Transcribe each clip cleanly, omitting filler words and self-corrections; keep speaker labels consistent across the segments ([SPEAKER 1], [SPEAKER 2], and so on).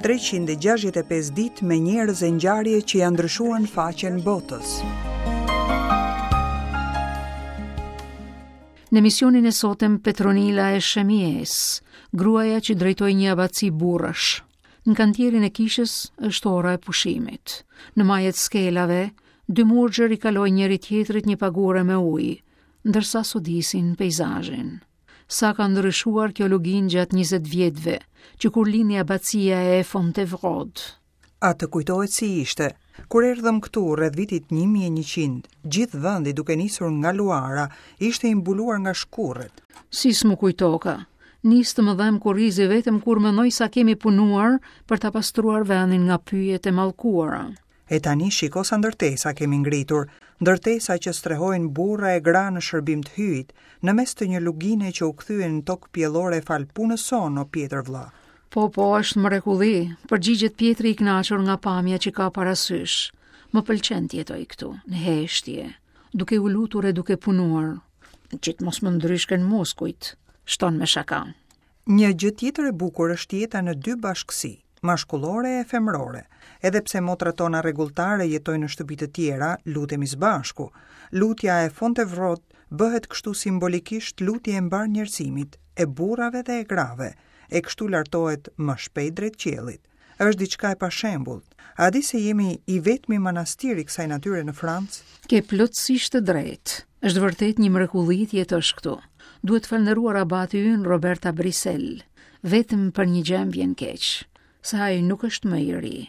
[SPEAKER 1] 365 ditë me njerëz e ngjarje që ia ndryshuan faqen botës.
[SPEAKER 2] Në emisionin e sotëm Petronila e Shemjesë, gruaja që drejtoi një abaci burrash. Në kantierin e kishës është ora e pushimit. Në maje të skelave, dy murgjër i kalojnë njëri-tjetrit një pagure me ujë, ndërsa sodisin peizazhin. Sa ka ndryshuar kjo luginë gjatë 20 vjetëve, që kur lindi abacia e Fontevraud.
[SPEAKER 1] A të kujtohet si ishte? Kur erdhëm këtu rreth vitit 1100, gjithë vendi duke nisur nga Luara ishte i mbuluar nga
[SPEAKER 2] shkurret. Si s'më kujtoka? Nis të më dhembë kurrizi vetëm kur mendoj sa kemi punuar për ta pastruar vendin nga pyjet e mallkuara.
[SPEAKER 1] E tani shiko sa ndërtesa kemi ngritur, ndërtesa që strehojnë burra e gra në shërbim të Hyjit, në mes të një lugine që u kthye në tokë pjellore falë punës sonë, o Pjetër
[SPEAKER 2] vëlla. Po, po, është mrekulli, përgjigjet Pjetri i kënaqur nga pamja që ka para sysh. Më pëlqen të jetoj këtu, në heshtje, duke u lutur e duke punuar, që të mos më ndryshken muskujt, shton me shaka.
[SPEAKER 1] Një gjë tjetër e bukur është jeta në dy bashkësi, mashkullore e femërore. Edhe pse motrat tona rregulltare jetojnë në shtëpi të tjera, lutemi së bashku. Lutja e Fontevraud bëhet kështu simbolikisht lutje e mbarë njerëzimit, e burrave dhe e grave, e kështu lartohet më shpejt drejt qiellit. Është diçka e pashembullt. A di se jemi i vetmi manastir i kësaj natyre në
[SPEAKER 2] Francë? Ke plotësisht të drejtë. Është vërtet një mrekulli të jetosh këtu. Duhet falënderuar abati ynë Robert Abrisel. Vetëm për një gjë më vjen keq, se ai nuk është më i ri.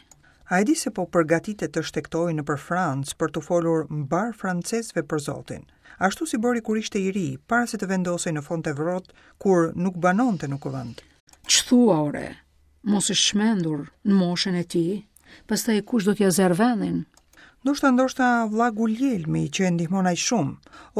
[SPEAKER 1] A e di se po përgatitet të shtegtojë nëpër Francë për t'u folur mbarë francezëve për Zotin? Ashtu si bëri kur ishte i ri, para se të vendosej në Fontevraud, kur nuk banonte në kuvend.
[SPEAKER 2] Ç'thua ore? Mos është çmendur në moshën e tij, pastaj kush do t'ia zërë vendin?
[SPEAKER 1] Ndoshta ndoshta vlla Guljelmi që e ndihmon aq shumë,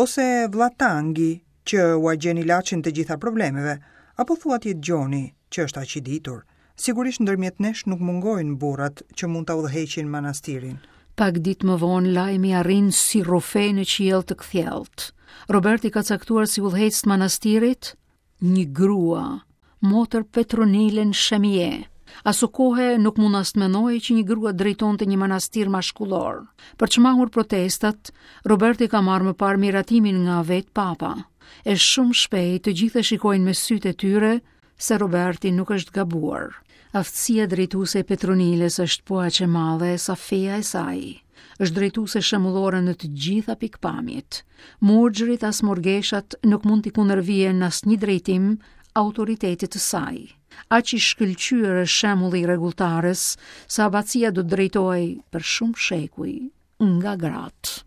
[SPEAKER 1] ose vlla Tangi që ua gjen ilaçin të gjitha problemeve, apo thua të jetë Gjoni që është aq i ditur. Sigurisht ndërmjet nesh nuk mungojnë burrat që mund ta udhëheqin manastirin.
[SPEAKER 2] Pak ditë më vonë lajmi arrin si rrufe në qiell të kthjellët. Roberti ka caktuar si udhëheqës të manastirit Një grua, motër Petronilën Shemje. Asokohe nuk mund as të mendohej që një grua drejtonte një manastir mashkullor. Për të shmangur protestat, Roberti ka marrë më parë miratimin nga vetë papa. E shumë shpejt të gjithë e shikojnë me sytë e tyre se Roberti nuk është gabuar. Aftësia drejtuese e Petronilës është po aq e madhe sa feja e saj. Është drejtuese shembullore në të gjitha pikëpamjet. Murgjërit as murgeshat nuk mund t'i kundërvihen në asnjë drejtim autoritetit të saj. Aq i shkëlqyer është shembulli i rregulltares, sa abacia do të drejtohej për shumë shekuj nga gratë.